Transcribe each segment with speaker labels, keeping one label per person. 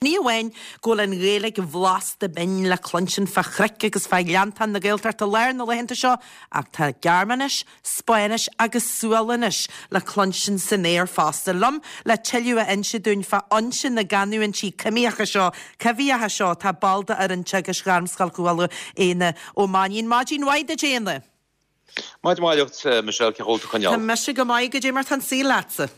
Speaker 1: Ní amháin go bhfuil an Ghaeilge bhlasta binn le cluinstin fá chnoic agus fá ghleanntáin na Gaeltachta Láir na laethanta seo ach tá Gearmáinis, Spáinnis agus Sualainnis le cluinstin san aer fosta. Liom le tuilleadh a inse dúinn fá fhoinse na gcanúintí coimíocha seo, coimhthíocha seo, tá ball d'fhoireann teagaisc Ghairmscoil Chuala, Éanna Ó Mainnín. Maidin mhaith duit, Éanna!
Speaker 2: Maidin mhaith duit, Michelle, cén chaoi a bhfuil tú ag coinneáil?
Speaker 1: Tá mise go maith, goidé mar tá an saol leatsa?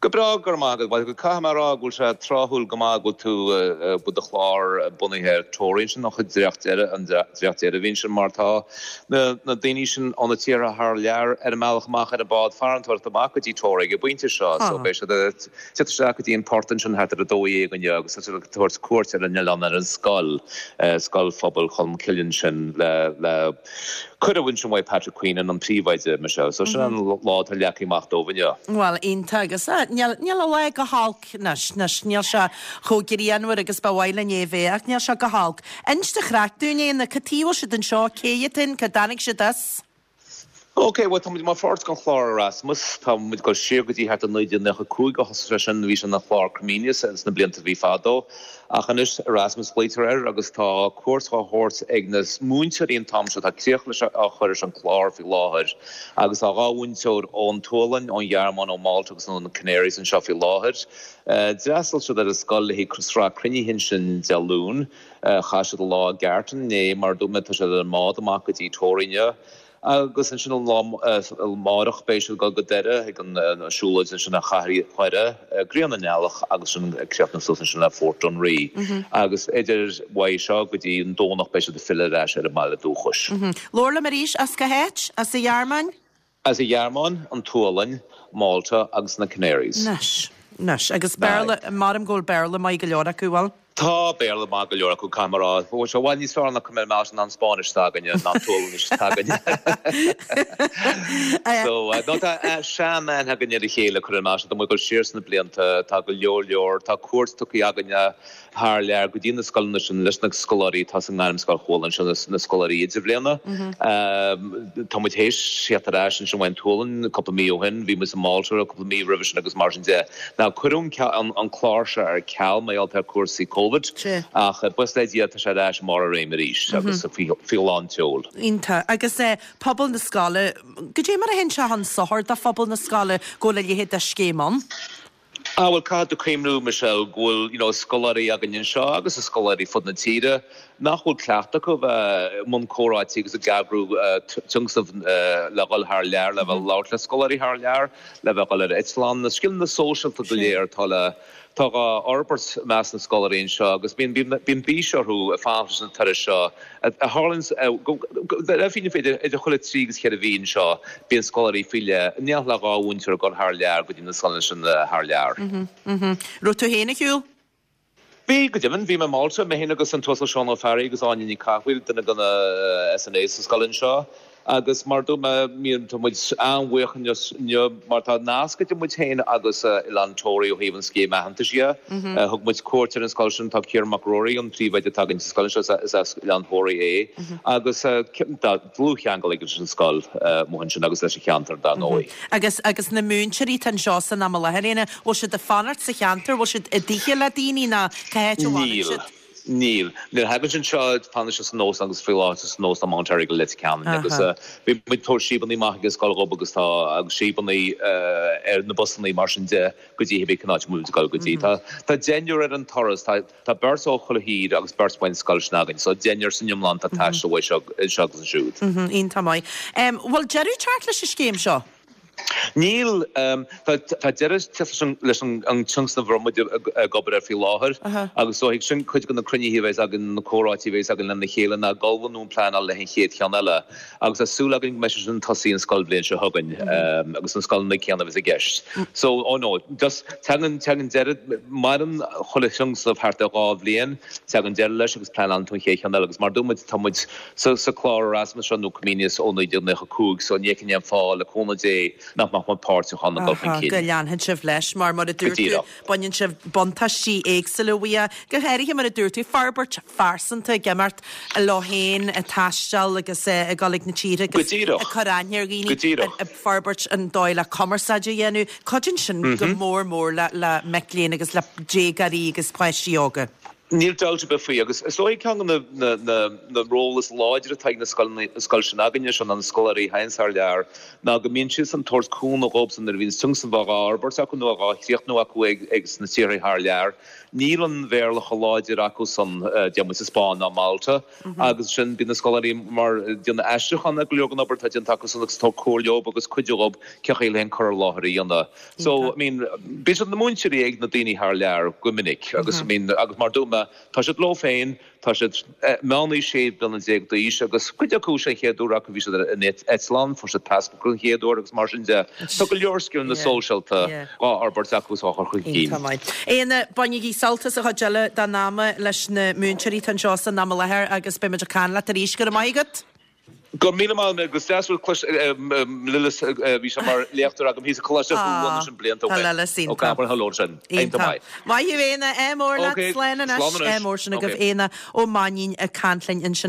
Speaker 2: Go breá, go raibh maith agat. Bhuel, caithfidh mé a rá go bhfuil sé tráthúil go maith go bhfuil tú, go bhfuil do chlár bunaithe ar Toraigh ansin, an chuid dréacht deireadh, an dréacht deireadh a bhí ansin mar tá na na daoine sin ó na tíortha thar lear ar a mbealach amach ar an bád farantóireachta amach go dtí Toraigh ag an bpointe seo so beidh siad ag teacht isteach go dtí an port ansin thart ar 12 inniu agus tá siad ag tabhairt cuairt ar an oileán ar an scoil, Scoil Phobail Cholmcille ansin le le Cuireadh ansin uaidh Patrick Queenan, an príomhoide, Michelle. So sin an lá atá leagtha amach dóibh inniu.
Speaker 1: Bhuel, iontach agus níl, níl an lá go holc anois, anois, níl sé chomh grianmhar agus ba mhaith linn é a bheith ach níl sé go holc. Inis an chraic dúinn, Éanna, cad chuige a bhfuil siad anseo, cé hiad féin, cá dtáinig siad as?
Speaker 2: Ok, bhuel tá muid mar pháirt den chlár Erasmus, tá muid ag dul siar go dtí thart ar 1995 a thosaigh sé sin, bhí sé ina chlár Comenius sna blianta a bhí fadó. Ach anois, Erasmus a ghlaoitear air agus tá cuairt á thabhairt ag na múinteoirí an t-am seo, tá críoch leis á chur leis an clár faoi láthair agus tá 2 mhúinteoir ón tSualainn, ón Ghearmáin, ó Mhálta agus ó na Canaries anseo faoi láthair. D'fhreastail siad ar an scoil le haghaidh sraith cruinnithe ansin Dé Luain. Chaith siad an lá i gCarton inné, mar a dúirt mé tá siad ar an mbád amach go dtí Toraigh inniu. Agus ansin an lá amárach beidh siad ag dul go Doire ag an siúlóid ansin ar Chathair Dhoire, Grian na nEallach agus sin ag críochnú suas ansin le Fort Dunree. Agus idir uaidh seo go dtí an Domhnach beidh siad ag filleadh ar ais ar a mbaile dúchais.
Speaker 1: Labhair liom arís, as cá háit? As an Ghearmáin?
Speaker 2: As an Ghearmáin, an tSualainn, Malta agus na Canaries.
Speaker 1: Anois, anois. Agus Béarla, maram go bhfuil Béarla maith go leor acu, bhfuil?
Speaker 2: Tá Béarla maith go leor acu, caithfidh mé a rá. Bhfuil sé i bhfad níos fearr ná cuimhin liom ná an Spáinnis s'againne, ná an tSualainnis s'againne. So, no, tá sean-aithne againn ar a chéile, cuir i gcás, tá muid ag dul siar sna blianta, tá go leor leor, tá cuairt tugtha againne thar lear go dtí na scoileanna sin leis na scoláirí atá sa nGairmscoil Chuala anseo, na scoláirí idirbhliana. Tá muid théis theacht ar ais ansin ón tSualainn cúpla mí ó shin, bhí muid i Malta cúpla mí roimhe sin agus mar sin de. Now cuireadh an clár seo ar ceal mar gheall ar cúrsaí Covid ach buíochas le Dia tá sé ar ais i mbarr a réime arís agus faoi lán tseoil.
Speaker 1: Iontach. Agus pobal na scoile, goidé mar a théann sé chun sochair do phobal na scoile go bhfuil a leithéid de scéim ann?
Speaker 2: Ah bhuel caithfidh tú cuimhniú Michelle go bhfuil you know scoláirí againn anseo agus scoláirí fud na tíre nach bhfuil cleachtadh acu bheith i mbun comhráití agus ag eagrú tionscnamh le dhul thar lear, le bheith ag labhairt le scoláirí thar lear, le bheith ag dul ar eitleán, na scileanna sóisialta go léir atá le tá dhá fhorbairt i measc na scoláirí anseo agus bíonn bíonn bís orthu ag fanacht leis na turais seo a tharlaíonn go le fírinne idir idir chuile 3 agus 4 mhí anseo bíonn scoláirí faoi leith in éineacht le 2 mhúinteoir ag dul thar lear go dtí na scoileanna sin thar lear.
Speaker 1: Raibh tú féin ar shiúl?
Speaker 2: Bhí, go deimhin. Bhí mé i Malta, mé féin agus an tUasal Seán Ó Fearraigh agus Áine Ní Cathmhaoil, duine de na SNAs sa scoil anseo. Agus mar a dúirt mé, tá muid an-bhuíoch inniu mar tá nasc idir muid féin agus Oileán Toraí ó thaobh an scéim aitheantais dhe. Thug muid cuairt ar an scoil sin, tá Ciarán Mac Ruairí, an príomhoide atá againn sa scoil anseo, is as Oileán Thoraí é. Agus tá dlúthcheangal aige leis an scoil amuigh ansin agus leis an cheantar dar ndóigh.
Speaker 1: Agus agus na múinteoirí atá anseo san am i láthair, Éanna, bhfuil siad ag fanacht sa cheantar, bhfuil siad i dtithe le daoine nó cá háit a bhfanann
Speaker 2: Níl. siad? Níl. Nuair a thagann siad anseo, fanann siad san óstán agus faoi láthair san óstán Mount Errigal i Leitir Ceanainn agus bhí muid ag tabhairt síobannaí amach ag an scoil dhóibh agus tá agus síobannaí ar na busannaí mar sin de go dtí cibé cén áit a bhfuil muid ag dul go dtí. Tá tá deichniúr ar an turas, tá tá beirt ó chuile thír agus beirt ón scoil sin againn so deichniúr san iomlán atá ag taisteal uaidh seo anseo agus ansiúd.
Speaker 1: Iontach maith. Bhfuil deireadh ag teacht leis an scéim seo?
Speaker 2: Níl. Tá deireadh teacht leis an tionscnamh a raibh muid ag obair air faoi láthair agus is dóigh sin cuid de na cruinnithe a bheas againn, na comhráití a bheas againn lena chéile ná ag ullmhú nó ag pleanáil le haghaidh an chéad cheann eile agus tá súil againn go mbeidh sé sin ag tosaí an scoilbhliain seo chugainn agus na scoileanna céanna a bheas i gceist. So, oh no, just tagann, tagann deireadh, maireann chuile thionscnamh thart ar 2 bhliain, tagann deireadh leis agus pleanálann tú an chéad cheann eile agus mar a dúirt muid, tá muid Sa chlár Erasmus seo nó Comenius ó 1995 so ní fheicim aon fáth le cúnamh Dé nach mbeadh. mbeadh muid páirteach ann ag dul chun
Speaker 1: cinn. Go leanfaidh sibh leis mar mar a dúirt tú, baineann sibh buntáistí éagsúla uaidh, go háirithe mar a dúirt tú, forbairt phearsanta ag imeacht leo féin, ag taisteal agus ag dul ag na tíortha agus ag cur aithne ar dhaoine, ag forbairt an dóigh le cumarsáid a dhéanamh. Cuidíonn sin go mór mór le mic léinn agus le déagóirí agus páistí óga.
Speaker 2: Níl dabht ar bith faoi, agus is dóigh ceann de na ról is láidre atá ag na scoileanna, an scoil sin againne, seo ná na scoláirí a théanns thar lear, ná go mbíonn siadsan ag tabhairt cúnamh dhóibhsan nuair a bhíonns tionscnamh á fhorbairt acu nó á chríochnú acu ag sna tíortha thar lear. Níl an Bhéarla chomh láidir acusan, deir muid sa Spáinn ná Malta, agus sin bíonn na scoláirí mar déanamh aistriúchán ar go leor den obair atá déanta acusan agus tabhairt comhairle dhóibh agus cuidiú dhóibh cén chaoi le an cur i láthair a dhéanamh. So, I mean, bíonn siad ina múinteoirí ag na daoine thar lear go minic agus, I mean, agus mar dúirt mé, tá siad leo féin, tá siad meánaois 16 bliana d'aois agus cuid acu sé an chéad uair acu bhí siad in eitleán, fuair siad passport den chéad uair agus mar sin de. Tá go leor scileanna sóisialta dhá fhorbairt acu is á chur chun cinn.
Speaker 1: Iontach maith. Éanna, bainigí sult as an chuid eile den ama leis na múinteoirí atá anseo san am i láthair agus beidh muid ag caint leat arís. Go raibh maith agat.
Speaker 2: Go raibh míle maith agat agus deas rud clois Lillis bhí sé mar léachtóir agam thíos i Coláiste Chuan ansin blianta ó
Speaker 1: shin. Tá Lillis iontach.
Speaker 2: Ó Gabhar hello sin.
Speaker 1: Iontach maith. Maith thú Éanna, ádh mór leat, slán anois. Ádh mór sin agaibh Éanna Ó Mainnín ag caint linn ansin.